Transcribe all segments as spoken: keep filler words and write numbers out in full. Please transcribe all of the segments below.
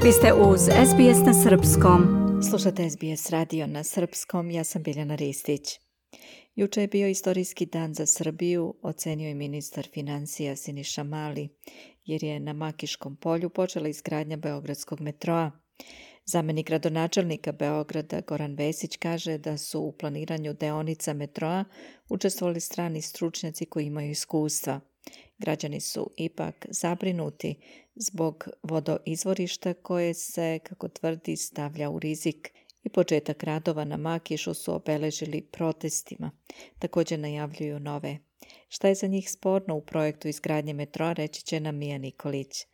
Vi ste uz S B S na srpskom. Slušate S B S radio na srpskom, ja sam Biljana Ristić. Juče je bio istorijski dan za Srbiju, ocenio je ministar financija Siniša Mali, jer je na Makiškom polju počela izgradnja Beogradskog metroa. Zamenik gradonačelnika Beograda Goran Vesić kaže da su u planiranju deonica metroa učestvovali strani stručnjaci koji imaju iskustva. Građani su ipak zabrinuti zbog vodoizvorišta koje se, kako tvrdi, stavlja u rizik i početak radova na Makišu su obeležili protestima. Također najavljuju nove. Šta je za njih sporno u projektu izgradnje metroa, reći će nam Mija Nikolić.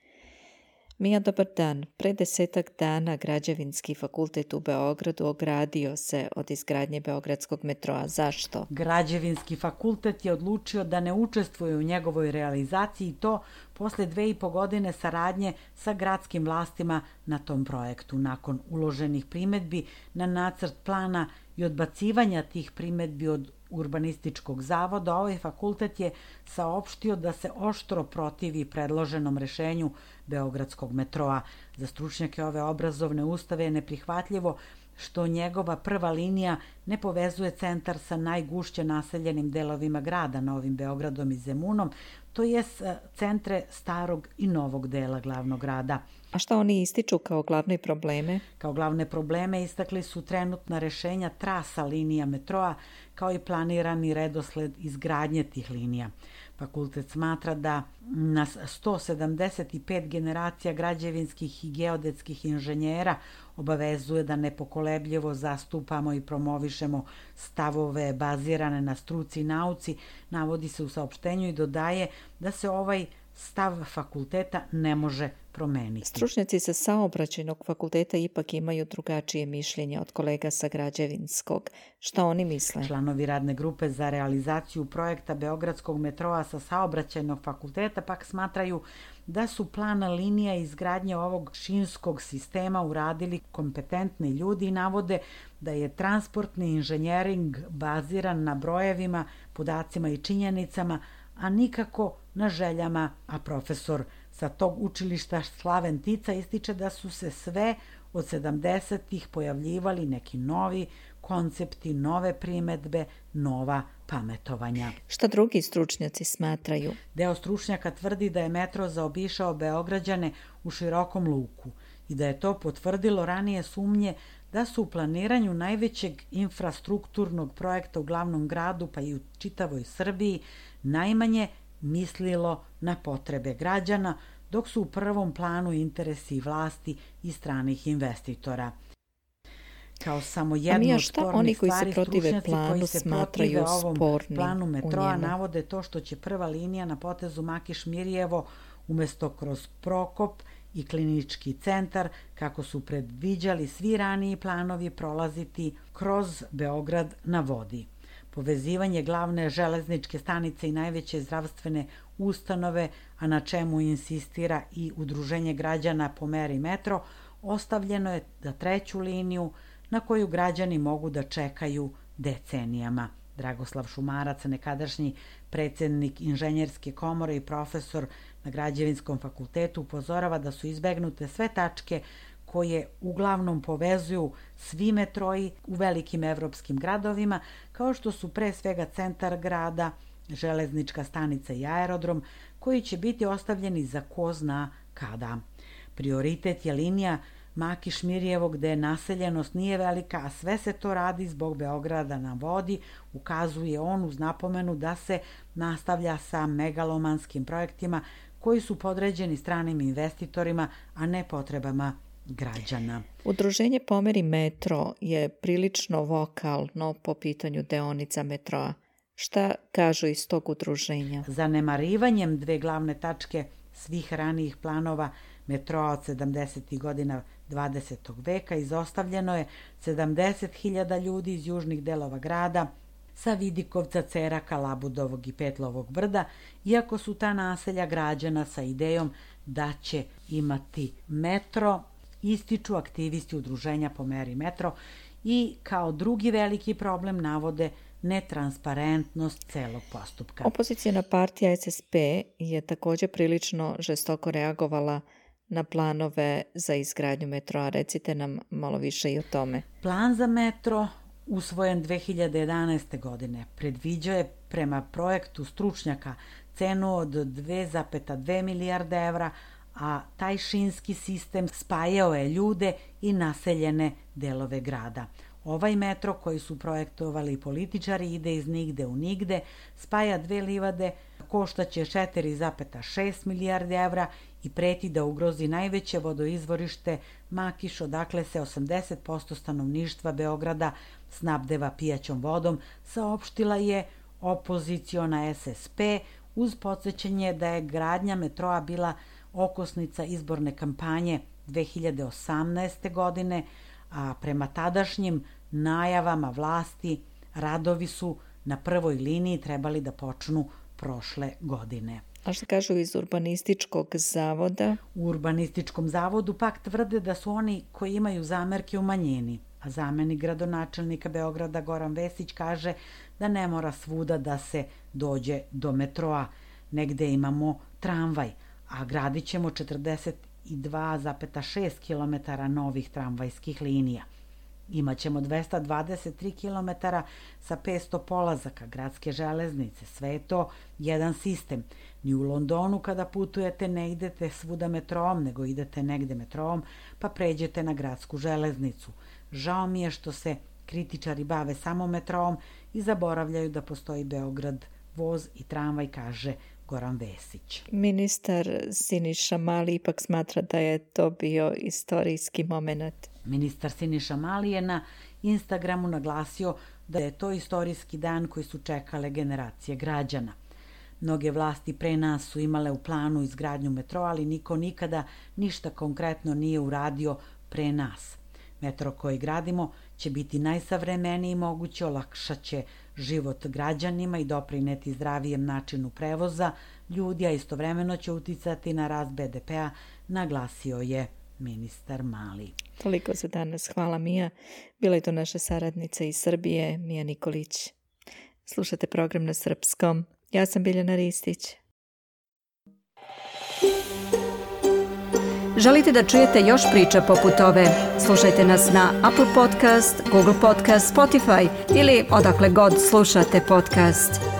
Mija, dobar dan. Pre desetak dana Građevinski fakultet u Beogradu ogradio se od izgradnje Beogradskog metroa. Zašto? Građevinski fakultet je odlučio da ne učestvuje u njegovoj realizaciji i to posle dve i po godine saradnje sa gradskim vlastima na tom projektu. Nakon uloženih primedbi na nacrt plana i odbacivanja tih primedbi od Urbanističkog zavoda, ovaj fakultet je saopštio da se oštro protivi predloženom rešenju Beogradskog metroa. Za stručnjake ove obrazovne ustave je neprihvatljivo što njegova prva linija ne povezuje centar sa najgušće naseljenim delovima grada, Novim Beogradom i Zemunom, to je centre starog i novog dela glavnog grada. A šta oni ističu kao glavne probleme? Kao glavne probleme istakli su trenutna rešenja trasa linija metroa, kao i planirani redosled izgradnje tih linija. Fakultet smatra da nas sto sedamdeset pet generacija građevinskih i geodetskih inženjera obavezuje da nepokolebljivo zastupamo i promovišemo stavove bazirane na struci i nauci, navodi se u saopštenju i dodaje da se ovaj stav fakulteta ne može promeniti. Stručnjaci sa saobraćajnog fakulteta ipak imaju drugačije mišljenje od kolega sa građevinskog. Šta oni misle? Članovi radne grupe za realizaciju projekta Beogradskog metroa sa saobraćajnog fakulteta pak smatraju da su plan linija izgradnje ovog šinskog sistema uradili kompetentni ljudi i navode da je transportni inženjering baziran na brojevima, podacima i činjenicama, a nikako na željama, a profesor sa tog učilišta Slaven Tica ističe da su se sve od sedamdesetih pojavljivali neki novi koncepti, nove primedbe, nova pametovanja. Šta drugi stručnjaci smatraju? Deo stručnjaka tvrdi da je metro zaobišao Beograđane u širokom luku i da je to potvrdilo ranije sumnje da su u planiranju najvećeg infrastrukturnog projekta u glavnom gradu, pa i u čitavoj Srbiji, najmanje mislilo na potrebe građana, dok su u prvom planu interesi vlasti i stranih investitora. Kao samo jednu od spornih stvari, stručnjaci koji se protive ovom planu metroa navode to što će prva linija na potezu Makiš-Mirjevo umesto kroz Prokop i klinički centar, kako su predviđali svi raniji planovi, prolaziti kroz Beograd na vodi. Povezivanje glavne železničke stanice i najveće zdravstvene ustanove, a na čemu insistira i Udruženje građana po meri metro, ostavljeno je za treću liniju na koju građani mogu da čekaju decenijama. Dragoslav Šumarac, nekadašnji predsjednik Inženjerske komore i profesor na Građevinskom fakultetu, upozorava da su izbegnute sve tačke koje uglavnom povezuju svi metroji u velikim evropskim gradovima, kao što su pre svega centar grada, železnička stanica i aerodrom, koji će biti ostavljeni za ko zna kada. Prioritet je linija Makiš-Mirjevo, gde naseljenost nije velika, a sve se to radi zbog Beograda na vodi, ukazuje on uz napomenu da se nastavlja sa megalomanskim projektima koji su podređeni stranim investitorima, a ne potrebama građana. Udruženje Pomeri metro je prilično vokalno po pitanju deonica metroa. Šta kažu iz tog udruženja? Zanemarivanjem dve glavne tačke svih ranijih planova metroa od sedamdesetih godina dvadesetog veka izostavljeno je sedamdeset hiljada ljudi iz južnih delova grada, sa Vidikovca, Ceraka, Labudovog i Petlovog brda, iako su ta naselja građana sa idejom da će imati metro, ističu aktivisti udruženja Po meri metro i kao drugi veliki problem navode netransparentnost celog postupka. Opozicijna partija S S P je također prilično žestoko reagovala na planove za izgradnju metroa. Recite nam malo više i o tome. Plan za metro, usvojen dve hiljade jedanaeste. godine, predviđuje prema projektu stručnjaka cenu od dve zarez dve milijarde evra, a taj šinski sistem spajao je ljude i naseljene delove grada. Ovaj metro koji su projektovali političari ide iz nigde u nigde, spaja dve livade, koštaće četiri zarez šest milijarde evra i preti da ugrozi najveće vodoizvorište Makiš, odakle se osamdeset posto stanovništva Beograda snabdeva pijaćom vodom, saopštila je opoziciona S S P, uz podsjećanje da je gradnja metroa bila okosnica izborne kampanje dve hiljade osamnaeste. godine, a prema tadašnjim najavama vlasti radovi su na prvoj liniji trebali da počnu prošle godine. A što kažu iz Urbanističkog zavoda? U Urbanističkom zavodu pak tvrde da su oni koji imaju zamerke u manjini, a zamenik gradonačelnika Beograda Goran Vesić kaže da ne mora svuda da se dođe do metroa. Negde imamo tramvaj, a gradit ćemo četrdeset dva zarez šest kilometara novih tramvajskih linija. Imaćemo dvesta dvadeset tri kilometara sa petsto polazaka, gradske železnice, sve je to jedan sistem. Ni u Londonu kada putujete ne idete svuda metroom, nego idete negde metroom, pa pređete na gradsku železnicu. Žao mi je što se kritičari bave samo metroom i zaboravljaju da postoji Beograd voz i tramvaj, kaže Goran Vesić. Ministar Siniša Mali ipak smatra da je to bio istorijski moment. Ministar Siniša Mali je na Instagramu naglasio da je to istorijski dan koji su čekale generacije građana. Mnoge vlasti pre nas su imale u planu izgradnju metroa, ali niko nikada ništa konkretno nije uradio pre nas. Metro koji gradimo će biti najsavremeniji moguće, olakšat će život građanima i doprineti zdravijem načinu prevoza ljudi, a istovremeno će uticati na rast B D P-a, naglasio je ministar Mali. Toliko za danas. Hvala, Mija. Bila je to naša saradnica iz Srbije, Mija Nikolić. Slušate program na srpskom. Ja sam Biljana Ristić. Želite da čujete još priča poput ove? Slušajte nas na Apple Podcast, Google Podcast, Spotify ili odakle god slušate podcast.